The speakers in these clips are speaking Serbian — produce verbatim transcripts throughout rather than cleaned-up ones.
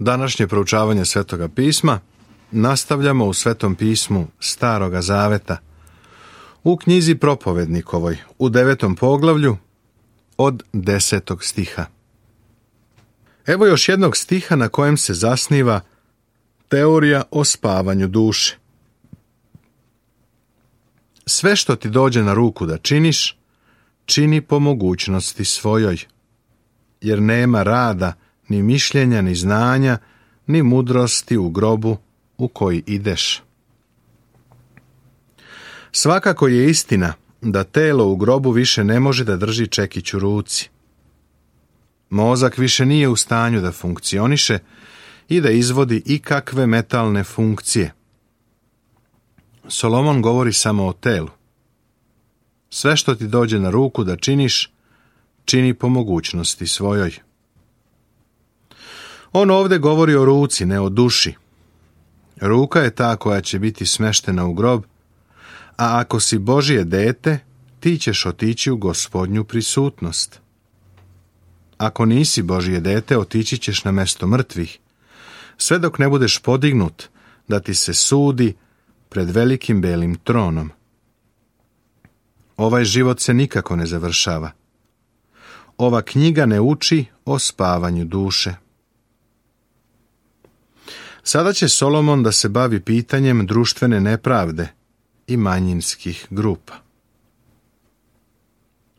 Današnje proučavanje Svetoga pisma nastavljamo u Svetom pismu Staroga Zaveta, u knjizi Propovednikovoj, u devetom poglavlju, od desetog stiha. Evo još jednog stiha na kojem se zasniva teorija o spavanju duše. Sve što ti dođe na ruku da činiš, čini po mogućnosti svojoj, jer nema rada, ni mišljenja, ni znanja, ni mudrosti u grobu u koji ideš. Svakako je istina da telo u grobu više ne može da drži čekić u ruci. Mozak više nije u stanju da funkcioniše i da izvodi ikakve metalne funkcije. Solomon govori samo o telu. Sve što ti dođe na ruku da činiš, čini po mogućnosti svojoj. On ovdje govori o ruci, ne o duši. Ruka je ta koja će biti smeštena u grob, a ako si Božje dete, ti ćeš otići u Gospodnju prisutnost. Ako nisi Božje dete, otići ćeš na mesto mrtvih, sve dok ne budeš podignut da ti se sudi pred velikim belim tronom. Ovaj život se nikako ne završava. Ova knjiga ne uči o spavanju duše. Sada će Solomon da se bavi pitanjem društvene nepravde i manjinskih grupa.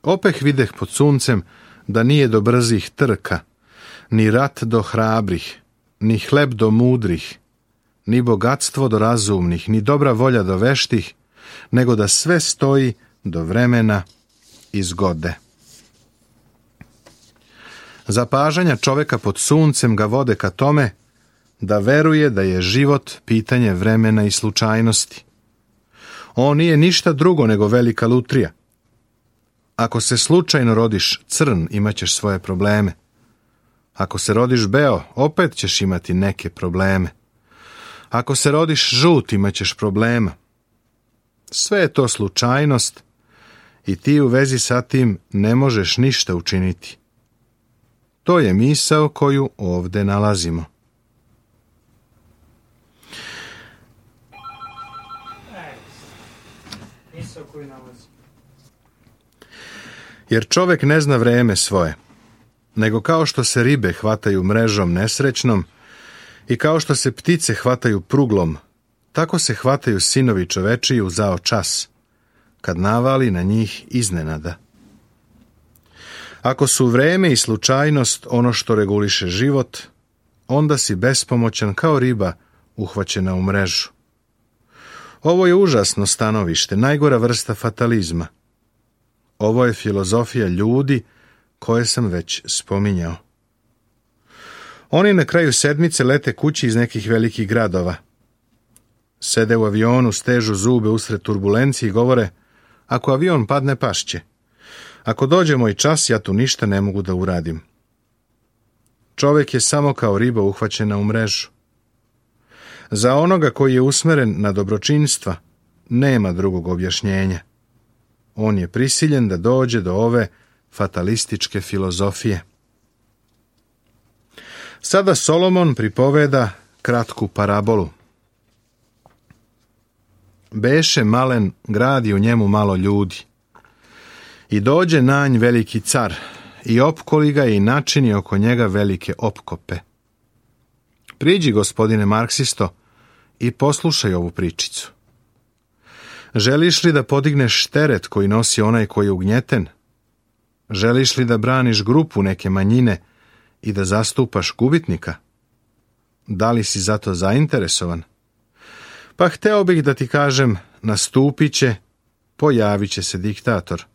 Opeh videh pod suncem da nije do brzih trka, ni rat do hrabrih, ni hleb do mudrih, ni bogatstvo do razumnih, ni dobra volja do veštih, nego da sve stoji do vremena i zgode. Zapažanja čoveka pod suncem ga vode ka tome da veruje da je život pitanje vremena i slučajnosti. On nije ništa drugo nego velika lutrija. Ako se slučajno rodiš crn, imat ćeš svoje probleme. Ako se rodiš beo, opet ćeš imati neke probleme. Ako se rodiš žut, imat ćeš problema. Sve je to slučajnost i ti u vezi sa tim ne možeš ništa učiniti. To je misao koju ovdje nalazimo. Jer čovjek ne zna vreme svoje, nego kao što se ribe hvataju mrežom nesrećnom i kao što se ptice hvataju pruglom, tako se hvataju sinovi čovečiji u zao čas, kad navali na njih iznenada. Ako su vreme i slučajnost ono što reguliše život, onda si bespomoćan kao riba uhvaćena u mrežu. Ovo je užasno stanovište, najgora vrsta fatalizma. Ovo je filozofija ljudi koje sam već spominjao. Oni na kraju sedmice lete kući iz nekih velikih gradova. Sede u avionu, stežu zube usred turbulencije i govore: ako avion padne, pašće. Ako dođe moj čas, ja tu ništa ne mogu da uradim. Čovjek je samo kao riba uhvaćena u mrežu. Za onoga koji je usmeren na dobročinstva, nema drugog objašnjenja. On je prisiljen da dođe do ove fatalističke filozofije. Sada Solomon pripoveda kratku parabolu. Beše malen grad i u njemu malo ljudi. I dođe nanj veliki car, i opkoli ga i načini oko njega velike opkope. Priđi, gospodine marksisto, i poslušaj ovu pričicu. Želiš li da podigneš teret koji nosi onaj koji je ugnjeten? Želiš li da braniš grupu neke manjine i da zastupaš gubitnika? Da li si zato zainteresovan? Pa hteo bih da ti kažem, nastupit će, pojavit će se diktator.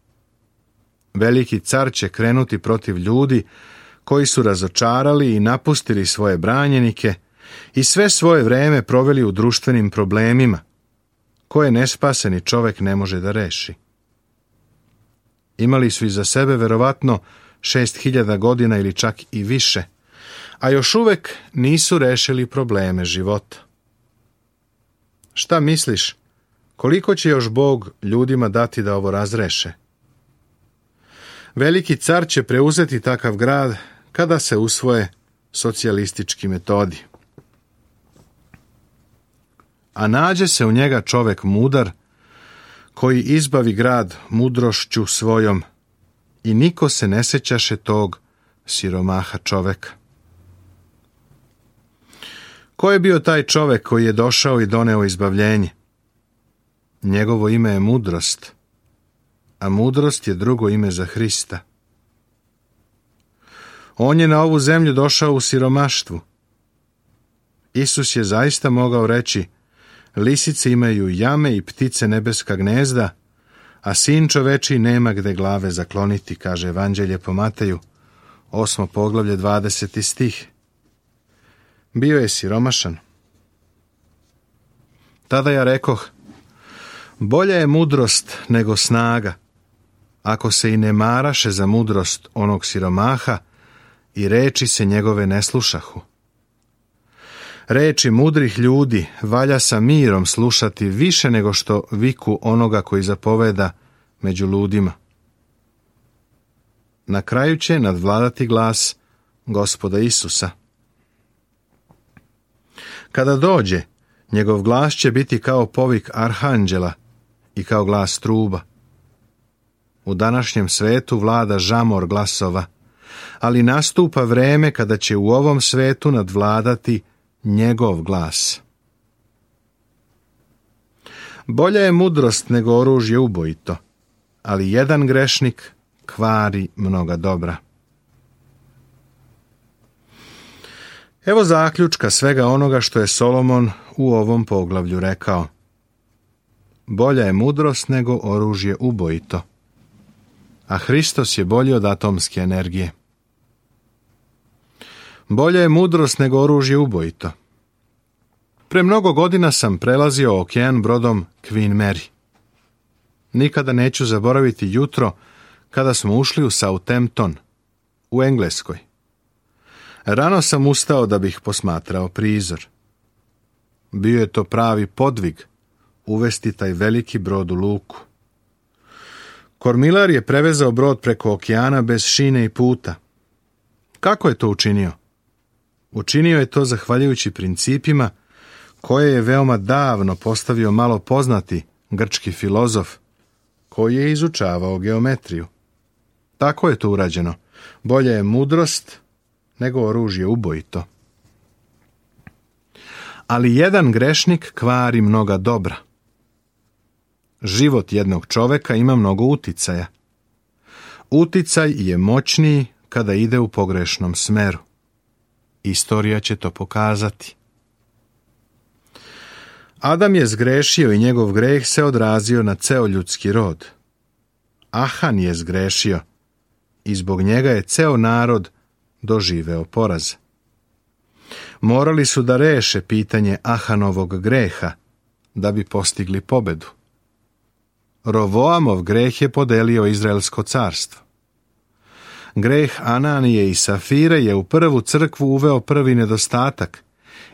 Veliki car će krenuti protiv ljudi koji su razočarali i napustili svoje branjenike i sve svoje vreme proveli u društvenim problemima, koje nespaseni čovjek ne može da reši. Imali su iza sebe verovatno šest hiljada godina ili čak i više, a još uvek nisu rešili probleme života. Šta misliš, koliko će još Bog ljudima dati da ovo razreše? Veliki car će preuzeti takav grad kada se usvoje socijalistički metodi. A nađe se u njega čovek mudar, koji izbavi grad mudrošću svojom, i niko se ne sećaše tog siromaha čoveka. Ko je bio taj čovek koji je došao i doneo izbavljenje? Njegovo ime je mudrost, a mudrost je drugo ime za Hrista. On je na ovu zemlju došao u siromaštvu. Isus je zaista mogao reći: lisice imaju jame i ptice nebeska gnezda, a sin čoveči nema gde glave zakloniti, kaže Evanđelje po Mateju, osmo poglavlje, dvadeseti stih. Bio je siromašan. Tada ja rekoh: bolja je mudrost nego snaga, ako se i ne maraše za mudrost onog siromaha i reči se njegove ne slušahu. Reči mudrih ljudi valja sa mirom slušati više nego što viku onoga koji zapoveda među ludima. Na kraju će nadvladati glas Gospoda Isusa. Kada dođe, njegov glas će biti kao povik arhanđela i kao glas truba. U današnjem svetu vlada žamor glasova, ali nastupa vreme kada će u ovom svetu nadvladati njegov glas. Bolja je mudrost nego oružje ubojito, ali jedan grešnik kvari mnoga dobra. Evo zaključka svega onoga što je Solomon u ovom poglavlju rekao. Bolja je mudrost nego oružje ubojito, a Hristos je bolji od atomske energije. Bolja je mudrost nego oružje ubojito. Pre mnogo godina sam prelazio okean brodom Queen Mary. Nikada neću zaboraviti jutro kada smo ušli u Southampton, u Engleskoj. Rano sam ustao da bih posmatrao prizor. Bio je to pravi podvig uvesti taj veliki brod u luku. Kormilar je prevezao brod preko okeana bez šine i puta. Kako je to učinio? Učinio je to zahvaljujući principima koje je veoma davno postavio malo poznati grčki filozof koji je izučavao geometriju. Tako je to urađeno. Bolja je mudrost nego oružje ubojito. Ali jedan grešnik kvari mnoga dobra. Život jednog čoveka ima mnogo uticaja. Uticaj je moćniji kada ide u pogrešnom smeru. Istorija će to pokazati. Adam je zgrešio i njegov greh se odrazio na ceo ljudski rod. Ahan je zgrešio i zbog njega je ceo narod doživeo poraz. Morali su da reše pitanje Ahanovog greha da bi postigli pobedu. Rovoamov greh je podelio Izraelsko carstvo. Greh Ananije i Safire je u prvu crkvu uveo prvi nedostatak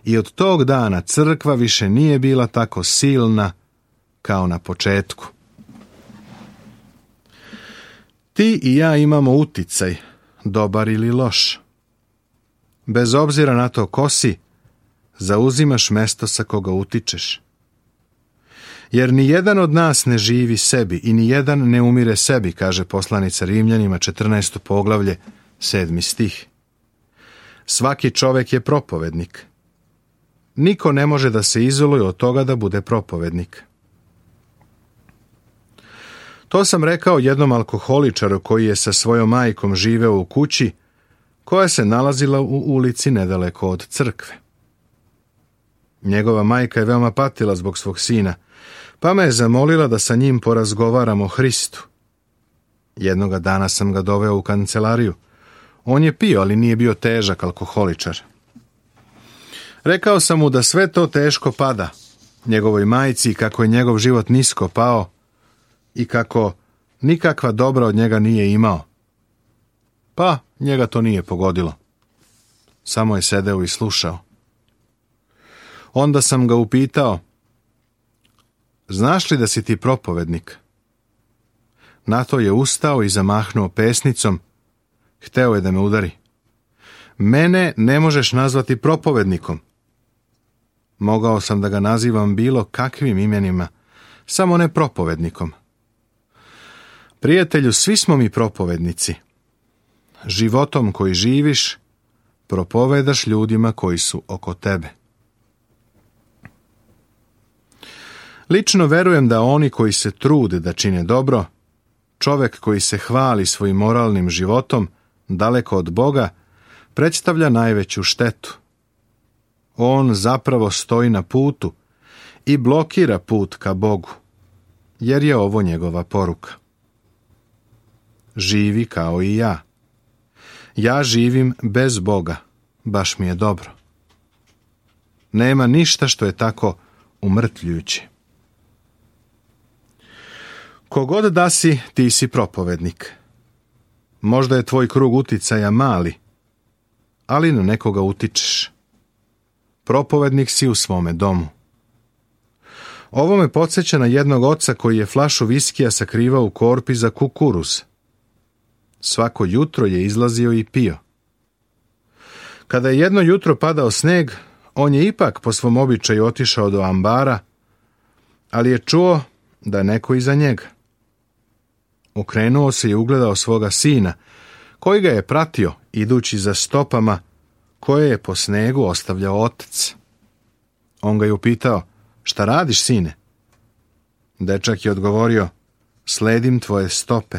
i od tog dana crkva više nije bila tako silna kao na početku. Ti i ja imamo uticaj, dobar ili loš. Bez obzira na to ko si, zauzimaš mesto sa koga utičeš. Jer ni jedan od nas ne živi sebi i ni jedan ne umire sebi, kaže poslanica Rimljanima, četrnaesto poglavlje, sedmi stih. Svaki čovek je propovednik. Niko ne može da se izoluje od toga da bude propovednik. To sam rekao jednom alkoholičaru koji je sa svojom majkom živeo u kući koja se nalazila u ulici nedaleko od crkve. Njegova majka je veoma patila zbog svog sina, pa me je zamolila da sa njim porazgovaram o Hristu. Jednoga dana sam ga doveo u kancelariju. On je pio, ali nije bio težak alkoholičar. Rekao sam mu da sve to teško pada njegovoj majci, kako je njegov život nisko pao i kako nikakva dobra od njega nije imao. Pa njega to nije pogodilo. Samo je sedeo i slušao. Onda sam ga upitao: znaš li da si ti propovednik? Na to je ustao i zamahnuo pesnicom. Hteo je da me udari. Mene ne možeš nazvati propovednikom. Mogao sam da ga nazivam bilo kakvim imenima, samo ne propovednikom. Prijatelju, svi smo mi propovednici. Životom koji živiš, propovedaš ljudima koji su oko tebe. Lično verujem da oni koji se trude da čine dobro, čovjek koji se hvali svojim moralnim životom, daleko od Boga, predstavlja najveću štetu. On zapravo stoji na putu i blokira put ka Bogu, jer je ovo njegova poruka. Živi kao i ja. Ja živim bez Boga, baš mi je dobro. Nema ništa što je tako umrtljujuće. Kogod da si, ti si propovednik. Možda je tvoj krug uticaja mali, ali na nekoga utičeš. Propovednik si u svome domu. Ovo me podsjeća na jednog oca koji je flašu viskija sakrivao u korpi za kukuruz. Svako jutro je izlazio i pio. Kada je jedno jutro padao sneg, on je ipak po svom običaju otišao do ambara, ali je čuo da je neko iza njega. Okrenuo se i ugledao svoga sina, koji ga je pratio, idući za stopama koje je po snegu ostavljao otac. On ga je upitao, šta radiš, sine? Dečak je odgovorio, sledim tvoje stope.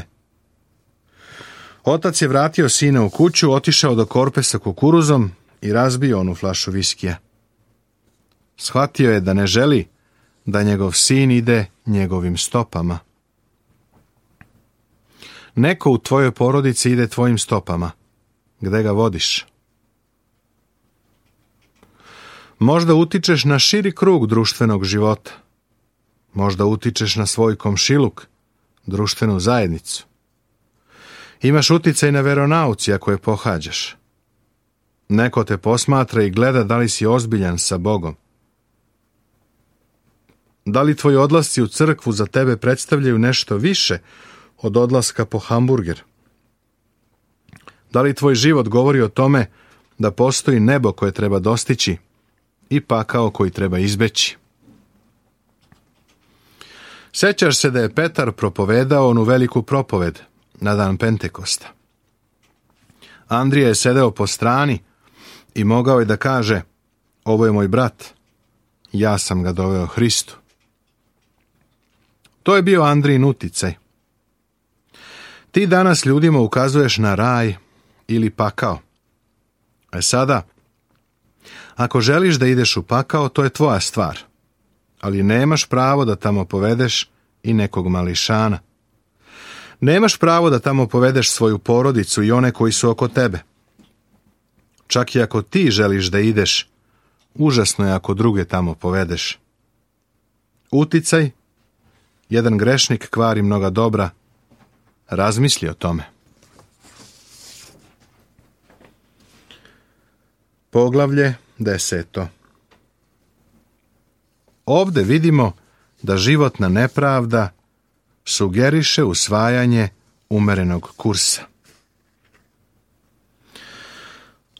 Otac je vratio sina u kuću, otišao do korpe sa kukuruzom i razbio onu flašu viskija. Shvatio je da ne želi da njegov sin ide njegovim stopama. Neko u tvojoj porodici ide tvojim stopama. Gde ga vodiš? Možda utičeš na širi krug društvenog života. Možda utičeš na svoj komšiluk, društvenu zajednicu. Imaš uticaj na veronauci ako je pohađaš. Neko te posmatra i gleda da li si ozbiljan sa Bogom. Da li tvoji odlasci u crkvu za tebe predstavljaju nešto više od odlaska po hamburger? Da li tvoj život govori o tome da postoji nebo koje treba dostići i pakao koji treba izbeći? Sećaš se da je Petar propovedao onu veliku propoved na dan Pentekosta. Andrija je sedeo po strani i mogao je da kaže, ovo je moj brat, ja sam ga doveo Hristu. To je bio Andrijin uticaj. Ti danas ljudima ukazuješ na raj ili pakao. E sada, ako želiš da ideš u pakao, to je tvoja stvar, ali nemaš pravo da tamo povedeš i nekog mališana. Nemaš pravo da tamo povedeš svoju porodicu i one koji su oko tebe. Čak i ako ti želiš da ideš, užasno je ako druge tamo povedeš. Uticaj, jedan grešnik kvari mnoga dobra, razmisli o tome. Poglavlje deseto. Ovde vidimo da životna nepravda sugeriše usvajanje umerenog kursa.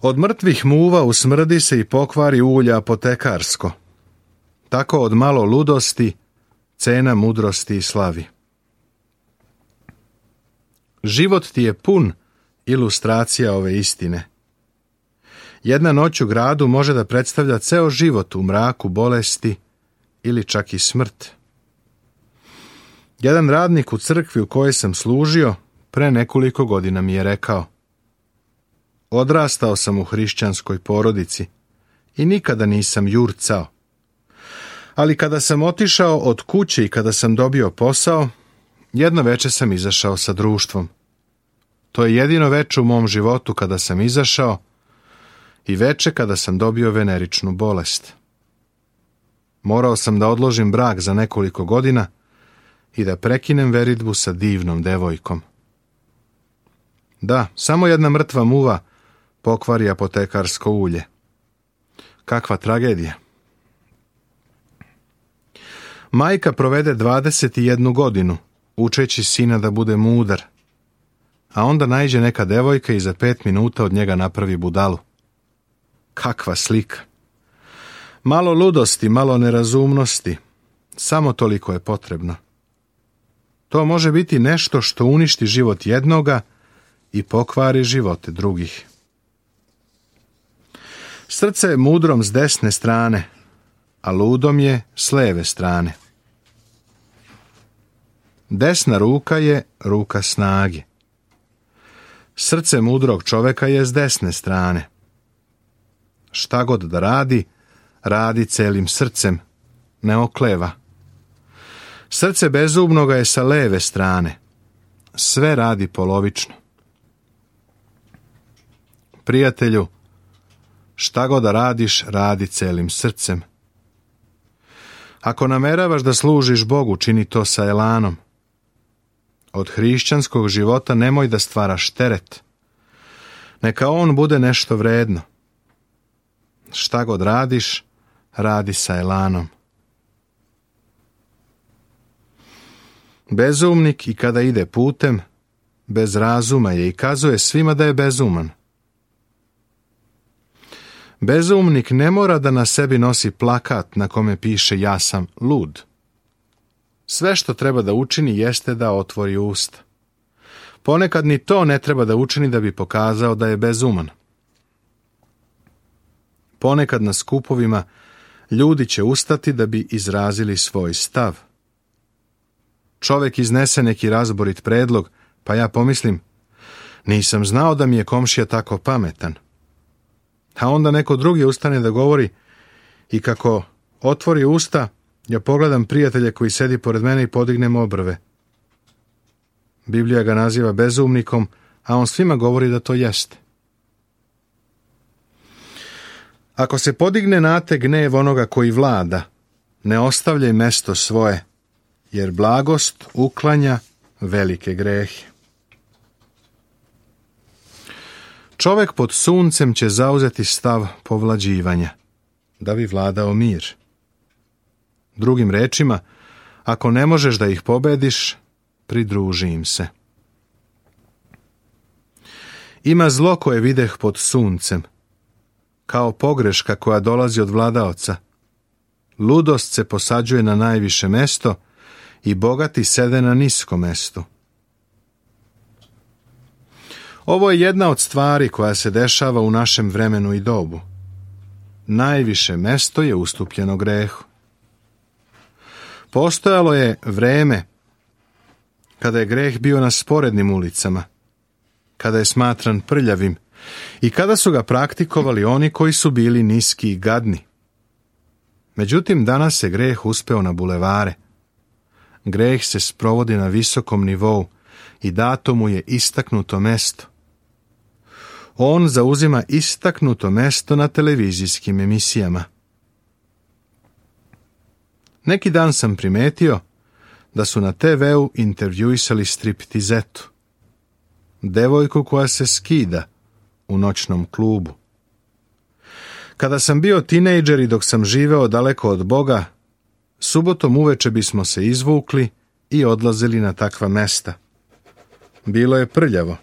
Od mrtvih muva usmrdi se i pokvari ulja apotekarsko. Tako od malo ludosti cena mudrosti i slavi. Život ti je pun ilustracija ove istine. Jedna noć u gradu može da predstavlja ceo život u mraku bolesti ili čak i smrt. Jedan radnik u crkvi u kojoj sam služio pre nekoliko godina mi je rekao: odrastao sam u hrišćanskoj porodici i nikada nisam jurcao. Ali kada sam otišao od kuće i kada sam dobio posao, jedno veče sam izašao sa društvom. To je jedino veče u mom životu kada sam izašao i veče kada sam dobio veneričnu bolest. Morao sam da odložim brak za nekoliko godina i da prekinem veridbu sa divnom devojkom. Da, samo jedna mrtva muva pokvari apotekarsko ulje. Kakva tragedija. Majka provede dvadeset jednu godinu učeći sina da bude mudar, a onda naiđe neka devojka i za pet minuta od njega napravi budalu. Kakva slika! Malo ludosti, malo nerazumnosti, samo toliko je potrebno. To može biti nešto što uništi život jednoga i pokvari živote drugih. Srce je mudrom s desne strane, a ludom je s leve strane. Desna ruka je ruka snage. Srce mudrog čoveka je s desne strane. Šta god da radi, radi celim srcem, ne okleva. Srce bezumnoga je sa leve strane. Sve radi polovično. Prijatelju, šta god da radiš, radi celim srcem. Ako nameravaš da služiš Bogu, čini to sa elanom. Od hrišćanskog života nemoj da stvaraš teret. Neka on bude nešto vredno. Šta god radiš, radi sa elanom. Bezumnik i kada ide putem, bez razuma je i kazuje svima da je bezuman. Bezumnik ne mora da na sebi nosi plakat na kome piše ja sam lud. Sve što treba da učini jeste da otvori usta. Ponekad ni to ne treba da učini da bi pokazao da je bezuman. Ponekad na skupovima ljudi će ustati da bi izrazili svoj stav. Čovjek iznese neki razborit predlog, pa ja pomislim, nisam znao da mi je komšija tako pametan. A onda neko drugi ustane da govori i kako otvori usta, ja pogledam prijatelja koji sedi pored mene i podignem obrve. Biblija ga naziva bezumnikom, a on svima govori da to jeste. Ako se podigne na te gnev onoga koji vlada, ne ostavljaj mesto svoje, jer blagost uklanja velike grehe. Čovjek pod suncem će zauzeti stav povlađivanja, da bi vladao mir. Drugim rečima, ako ne možeš da ih pobediš, pridruži im se. Ima zlo koje videh pod suncem, kao pogreška koja dolazi od vladaoca. Ludost se posađuje na najviše mesto i bogati sede na nisko mesto. Ovo je jedna od stvari koja se dešava u našem vremenu i dobu. Najviše mesto je ustupljeno grehu. Postojalo je vreme kada je greh bio na sporednim ulicama, kada je smatran prljavim i kada su ga praktikovali oni koji su bili niski i gadni. Međutim, danas je greh uspeo na bulevare. Greh se sprovodi na visokom nivou i dato mu je istaknuto mesto. On zauzima istaknuto mesto na televizijskim emisijama. Neki dan sam primetio da su na te veu intervjuisali striptizetu, devojku koja se skida u noćnom klubu. Kada sam bio tinejdžer i dok sam živeo daleko od Boga, subotom uveče bismo se izvukli i odlazili na takva mesta. Bilo je prljavo,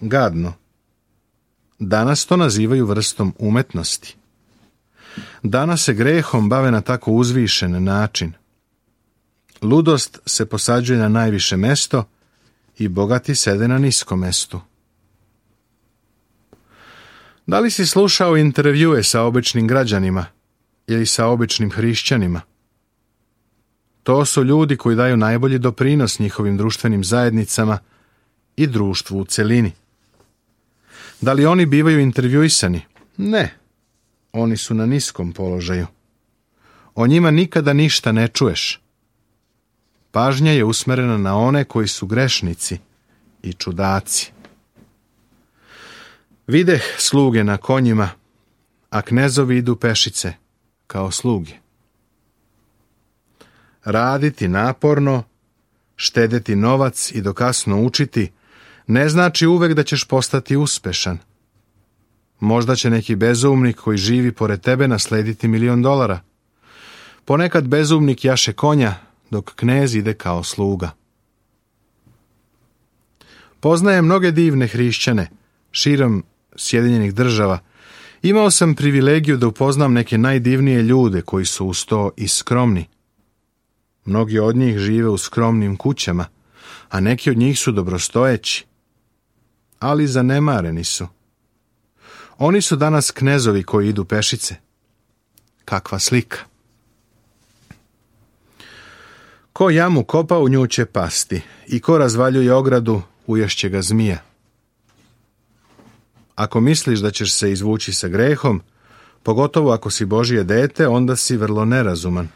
gadno. Danas to nazivaju vrstom umetnosti. Danas se grehom bave na tako uzvišen način. Ludost se posađuje na najviše mesto i bogati sede na nisko mestu. Da li si slušao intervjue sa običnim građanima ili sa običnim hrišćanima? To su ljudi koji daju najbolji doprinos njihovim društvenim zajednicama i društvu u celini. Da li oni bivaju intervjuisani? Ne. Oni su na niskom položaju. O njima nikada ništa ne čuješ. Pažnja je usmerena na one koji su grešnici i čudaci. Videh sluge na konjima, a knezovi idu pešice, kao sluge. Raditi naporno, štedeti novac i dokasno učiti, ne znači uvek da ćeš postati uspešan. Možda će neki bezumnik koji živi pored tebe naslediti milion dolara. Ponekad bezumnik jaše konja, dok knez ide kao sluga. Poznaje mnoge divne hrišćane širom Sjedinjenih Država Imao sam privilegiju da upoznam neke najdivnije ljude koji su uz to i skromni. Mnogi od njih žive u skromnim kućama, a neki od njih su dobrostojeći. Ali zanemareni su. Oni su danas knezovi koji idu pešice. Kakva slika! Ko jamu kopa, u nju će pasti, i ko razvaljuje ogradu, uješće ga zmija. Ako misliš da ćeš se izvući sa grehom, pogotovo ako si Božje dete, onda si vrlo nerazuman.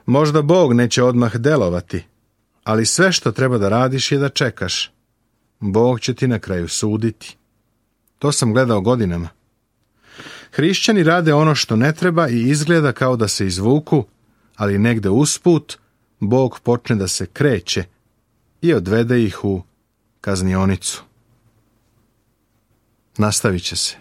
Možda Bog neće odmah delovati, ali sve što treba da radiš je da čekaš. Bog će ti na kraju suditi. To sam gledao godinama. Hrišćani rade ono što ne treba i izgleda kao da se izvuku, ali negde usput Bog počne da se kreće i odvede ih u kaznionicu. Nastavit će se.